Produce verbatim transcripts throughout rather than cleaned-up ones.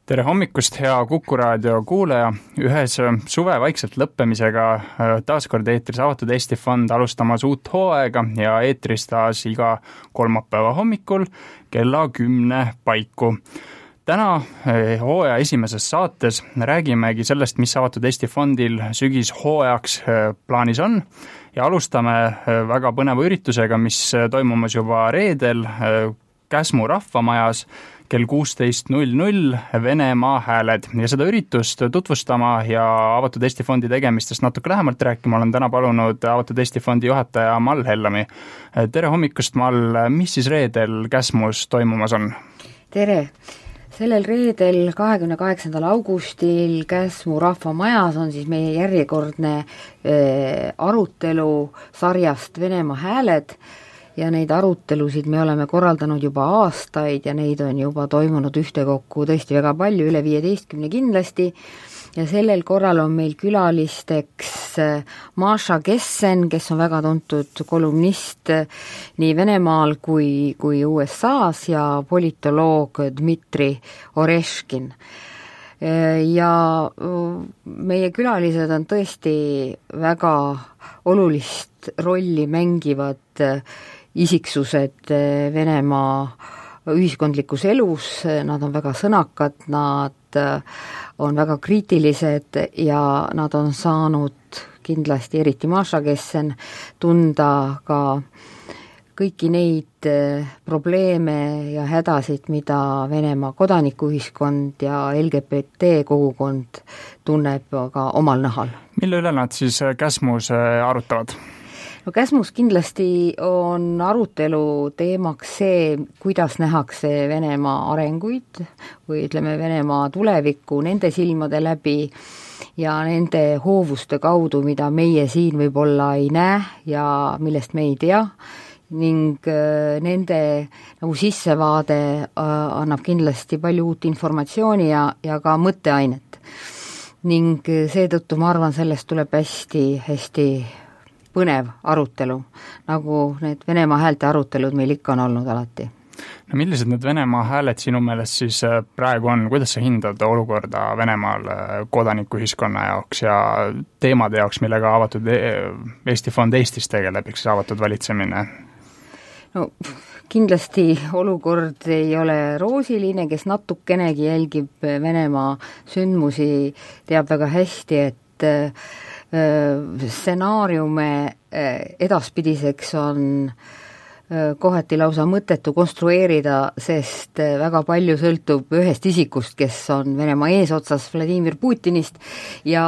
tere hommikust, hea Kuku raadio kuulaja. Ühes suve vaikselt lõppemisega taaskord eetris Avatud Eesti Fond alustamas uut hooaega ja eetris taas iga kolmapäeva hommikul kella kümne paiku. Täna hooaja esimeses saates räägimegi sellest, mis Avatud Eesti Fondil sügis hooajaks plaanis on ja alustame väga põneva üritusega, mis toimumas juba reedel Käsmu rahvamajas kell kuusteist null null Venemaa hääled ja seda üritust tutvustama ja Avatud Eesti Fondi tegemistest natuke lähemalt rääkima olen täna palunud Avatud Eesti Fondi juhataja Mall Hellami. Tere hommikust, Mall, mis siis reedel Käsmus toimumas on? Tere! Sellel reedel kahekümne kaheksandal augustil Käsmu rahvamajas on siis meie järjekordne äh, arutelu sarjast Venemaa hääled ja neid arutelusid me oleme korraldanud juba aastaid ja neid on juba toimunud ühtekokku tõesti väga palju, üle viieteistkümne kindlasti, ja sellel korral on meil külalisteks Maša Gessen, kes on väga tuntud kolumnist nii Venemaal kui, kui U S A-s ja politoloog Dmitri Oreškin. Ja meie külalised on tõesti väga olulist rolli mängivad isiksused Venemaa ühiskondlikus elus, nad on väga sõnakad, nad on väga kriitilised ja nad on saanud kindlasti, eriti Maša Gessen, tunda ka kõiki neid probleeme ja hädasid, mida Venemaa kodanikuühiskond ja L G B T kogukond tunneb ka omal nahal. Mille üle nad siis Käsmus arutavad? No Käsmus kindlasti on arutelu teemaks see, kuidas nähakse Venemaa arenguid või ütleme Venemaa tulevikku nende silmade läbi ja nende hoovuste kaudu, mida meie siin võib-olla ei näe ja millest me ei tea, ning nende nagu sissevaade annab kindlasti palju uut informatsiooni ja, ja ka mõtteainet. Ning seetõttu ma arvan, sellest tuleb hästi, hästi põnev arutelu, nagu need Venemaa häälte arutelud meil ikka on olnud alati. No millised need Venemaa hääled sinu meelest siis praegu on? Kuidas sa hindad olukorda Venemaal kodanikuühiskonna jaoks ja teemade jaoks, millega Avatud Eesti Fond Eestis tegeleb, eks avatud valitsemine? No kindlasti olukord ei ole roosiline, kes natukenegi jälgib Venemaa sündmusi, teab väga hästi, et stsenaariume edaspidiseks on kohati lausa mõttetu konstrueerida, sest väga palju sõltub ühest isikust, kes on Venemaa eesotsas Vladimir Putinist ja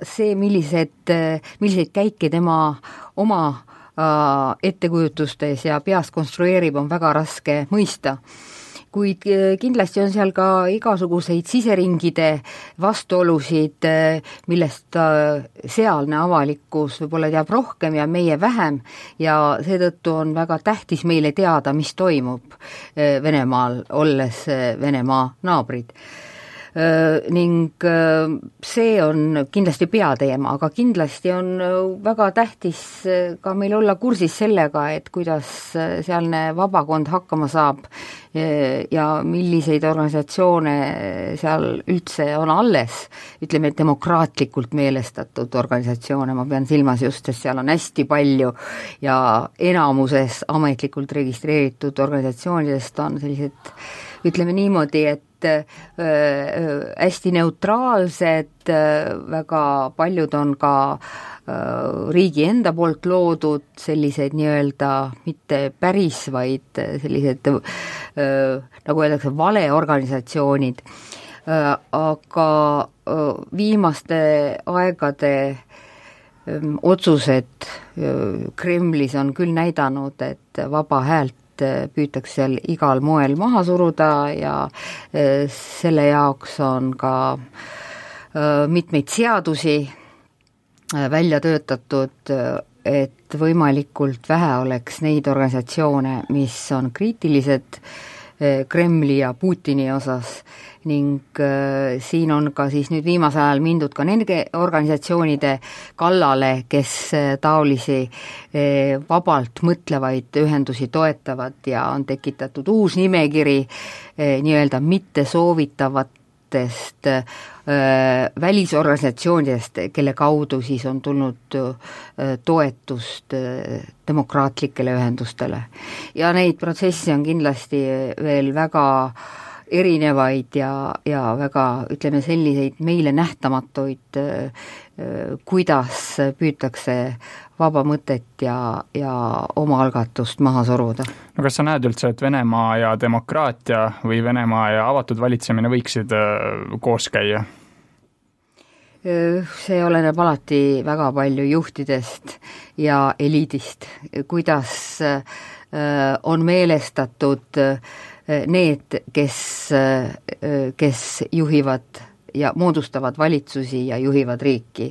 see, millised, milliseid käike tema oma ettekujutustes ja peas konstrueerib, on väga raske mõista. Kuid kindlasti on seal ka igasuguseid siseringide vastuolusid, millest sealne avalikkus võib-olla teab rohkem ja meie vähem ja seetõttu on väga tähtis meile teada, mis toimub Venemaal, olles Venemaa naabrid. Ning see on kindlasti peateema, aga kindlasti on väga tähtis ka meil olla kursis sellega, et kuidas sealne vabakond hakkama saab ja milliseid organisatsioone seal üldse on alles, ütleme demokraatlikult meelestatud organisatsioone, ma pean silmas just, et seal on hästi palju ja enamuses ametlikult registreeritud organisatsioonidest on sellised, ütleme niimoodi, et hästi neutraalsed, väga paljud on ka riigi enda poolt loodud sellised nii-öelda mitte päris, vaid sellised nagu öeldakse valeorganisatsioonid, aga viimaste aegade otsused Kremlis on küll näidanud, et vaba häält püütakse seal igal moel maha suruda ja selle jaoks on ka mitmeid seadusi välja töötatud, et võimalikult vähe oleks neid organisatsioone, mis on kriitilised Kremli ja Putini osas ning äh, siin on ka siis nüüd viimasel ajal mindud ka nende organisatsioonide kallale, kes äh, taolisi äh, vabalt mõtlevaid ühendusi toetavad ja on tekitatud uus nimekiri äh, nii-öelda mitte soovitavat erinevatest äh, välisorganisatsioonidest, kelle kaudu siis on tulnud äh, toetust äh, demokraatlikele ühendustele. Ja neid protsesse on kindlasti veel väga erinevaid ja, ja väga, ütleme, selliseid meile nähtamatuid, kuidas püütakse vaba mõtet ja, ja oma algatust maha suruda. No kas sa näed üldse, et Venemaa ja demokraatia või Venemaa ja avatud valitsemine võiksid koos käia? See oleneb alati väga palju juhtidest ja eliidist, kuidas on meelestatud need, kes, kes juhivad ja moodustavad valitsusi ja juhivad riiki.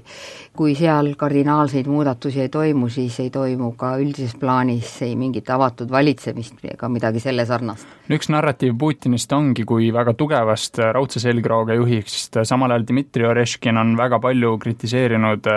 Kui seal kardinaalseid muudatusi ei toimu, siis ei toimu ka üldises plaanis ei mingit avatud valitsemist ega midagi selle sarnast. Üks narratiiv Putinist ongi kui väga tugevast raudse selgrooga juhist, samal ajal Dmitri Oreškin on väga palju kritiseerinud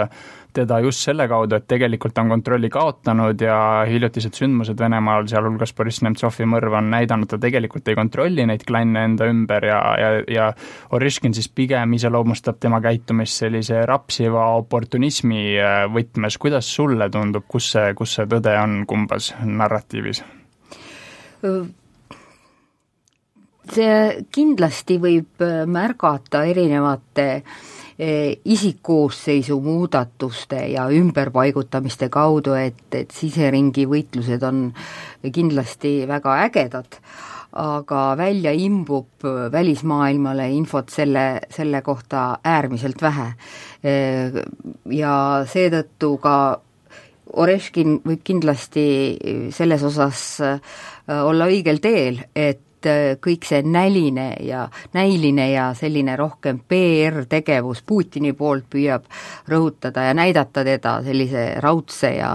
teda just selle kaudu, et tegelikult on kontrolli kaotanud ja hiljutised sündmused Venemaal, sealhulgas Boris Nemtsovi mõrv on näidanud, ta tegelikult ei kontrolli neid klanne enda ümber ja, ja, ja Oreškin siis pigem iseloomustab tema käitumist sellise rapsiva oportunismi võtmes. Kuidas sulle tundub, kus see, kus see tõde on kumbas narratiivis? See kindlasti võib märgata erinevate isikkoosseisu muudatuste ja ümberpaigutamiste kaudu, et, et siseringi võitlused on kindlasti väga ägedad, aga välja imbub välismaailmale infot selle, selle kohta äärmiselt vähe. Ja seetõttu ka Oreškin võib kindlasti selles osas olla õigel teel, et kõik see näline ja näiline ja selline rohkem P R-tegevus Putini poolt püüab rõhutada ja näidata teda sellise raudse ja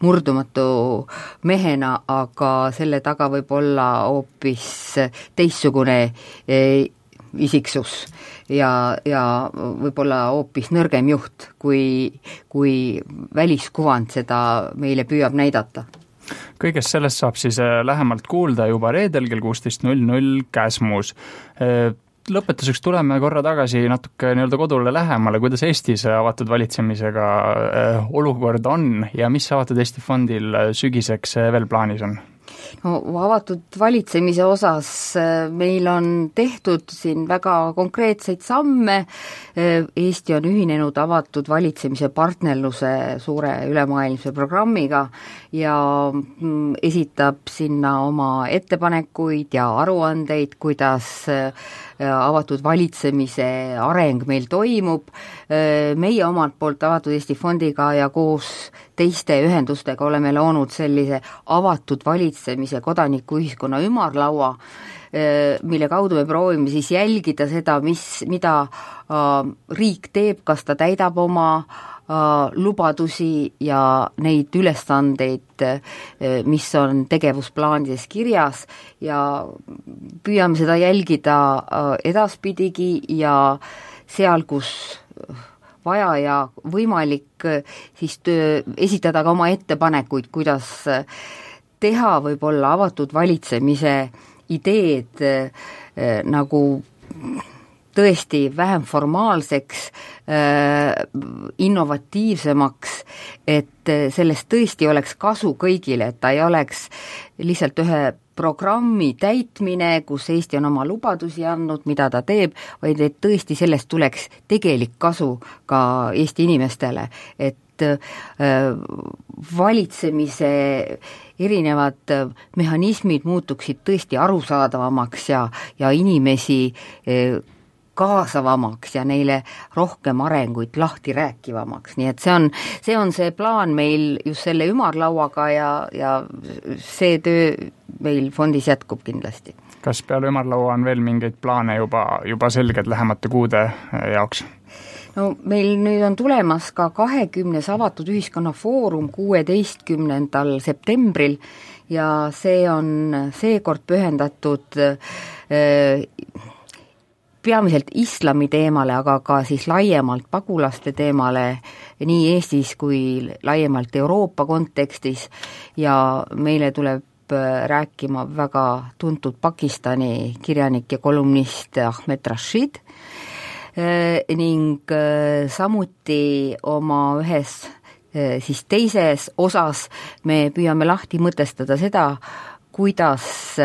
murdumatu mehena, aga selle taga võib olla hoopis teistsugune isiksus ja, ja võib-olla hoopis nõrgem juht, kui, kui väliskuvand seda meile püüab näidata. Kõigest sellest saab siis lähemalt kuulda juba reedel kell kuusteist null null Käsmus. Lõpetuseks tuleme korra tagasi natuke nii-öelda kodule lähemale, kuidas Eestis avatud valitsemisega olukord on ja mis avatud Eesti fondil sügiseks veel plaanis on? No, avatud valitsemise osas meil on tehtud siin väga konkreetseid samme. Eesti on ühinenud avatud valitsemise partnerluse suure ülemaailmse programmiga ja esitab sinna oma ettepanekuid ja aruandeid, kuidas avatud valitsemise areng meil toimub. Meie omalt poolt avatud Eesti fondiga ja koos teiste ühendustega oleme loonud sellise avatud valitsemise kodanikuühiskonna ümarlaua, mille kaudu me proovime siis jälgida seda, mis, mida riik teeb, kas ta täidab oma lubadusi ja neid ülesandeid, mis on tegevusplaanides kirjas ja püüame seda jälgida edaspidigi ja seal, kus vaja ja võimalik siis töö, esitada ka oma ettepanekuid, kuidas teha võib-olla avatud valitsemise ideed eh, nagu tõesti vähem formaalseks, innovatiivsemaks, et sellest tõesti oleks kasu kõigile, et ta ei oleks lihtsalt ühe programmi täitmine, kus Eesti on oma lubadusi andnud, mida ta teeb, vaid et tõesti sellest tuleks tegelik kasu ka Eesti inimestele, et valitsemise erinevad mehhanismid muutuksid tõesti arusaadavamaks ja, ja inimesi kaasavamaks ja neile rohkem arenguid lahti rääkivamaks, nii et see on see, on see plaan meil just selle ümarlauaga ja, ja see töö meil fondis jätkub kindlasti. Kas peale ümarlaua on veel mingeid plaane juba, juba selged lähemate kuude jaoks? No meil nüüd on tulemas ka kahekümnes avatud ühiskonna foorum kuueteistkümnendal septembril ja see on seekord pühendatud äh, peamiselt islami teemale, aga ka siis laiemalt pagulaste teemale nii Eestis kui laiemalt Euroopa kontekstis ja meile tuleb rääkima väga tuntud Pakistani kirjanik ja kolumnist Ahmed Rashid ning samuti oma ühes siis teises osas me püüame lahti mõtestada seda, kuidas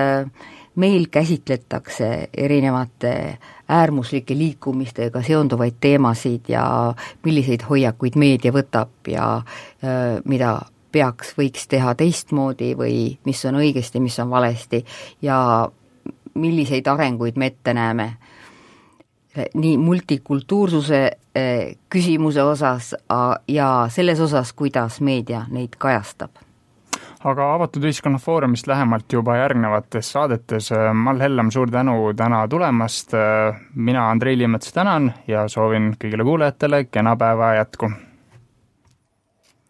meil käsitletakse erinevate äärmuslike liikumistega seonduvaid teemasid ja milliseid hoiakuid meedia võtab ja mida peaks, võiks teha teistmoodi või mis on õigesti, mis on valesti ja milliseid arenguid me ette näeme nii multikultuursuse küsimuse osas ja selles osas, kuidas meedia neid kajastab. Aga Avatud Ühiskonna Foorumist lähemalt juba järgnevates saadetes. Mall Hellam, suur tänu täna tulemast. Mina Andrei Liimets tänan ja soovin kõigile kuulajatele kena päeva jätku.